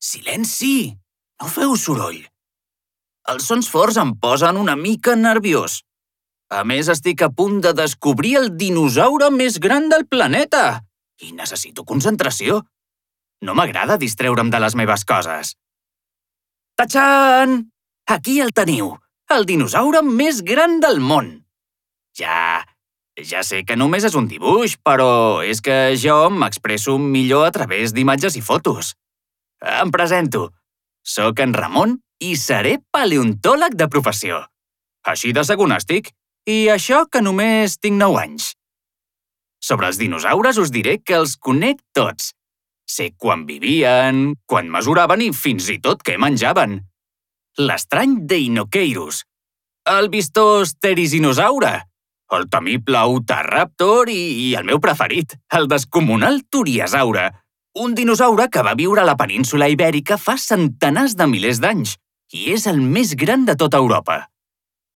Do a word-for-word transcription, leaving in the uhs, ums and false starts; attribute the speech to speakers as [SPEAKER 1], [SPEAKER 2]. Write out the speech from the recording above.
[SPEAKER 1] Silenci! No feu soroll. Els sons forts em posen una mica nerviós. A més, estic a punt de descobrir el dinosaure més gran del planeta i necessito concentració. No m'agrada distreure'm de les meves coses. Tachan! Aquí el teniu, el dinosaure més gran del món. Ja, ja sé que només és un dibuix, però és que jo m'expresso millor a través d'imatges i fotos. Em presento. Soc en Ramon i seré paleontòleg de professió. Així de segon estic, i això que només tinc nou anys. Sobre els dinosaures us diré que els conec tots. Sé quan vivien, quan mesuraven i fins i tot què menjaven. L'estrany Deinocheirus, el vistós Therizinosaure, el temible Utahraptor i, i el meu preferit, el descomunal Turiosaure, un dinosaure que va viure a la península Ibèrica fa centenars de milers d'anys i és el més gran de tota Europa.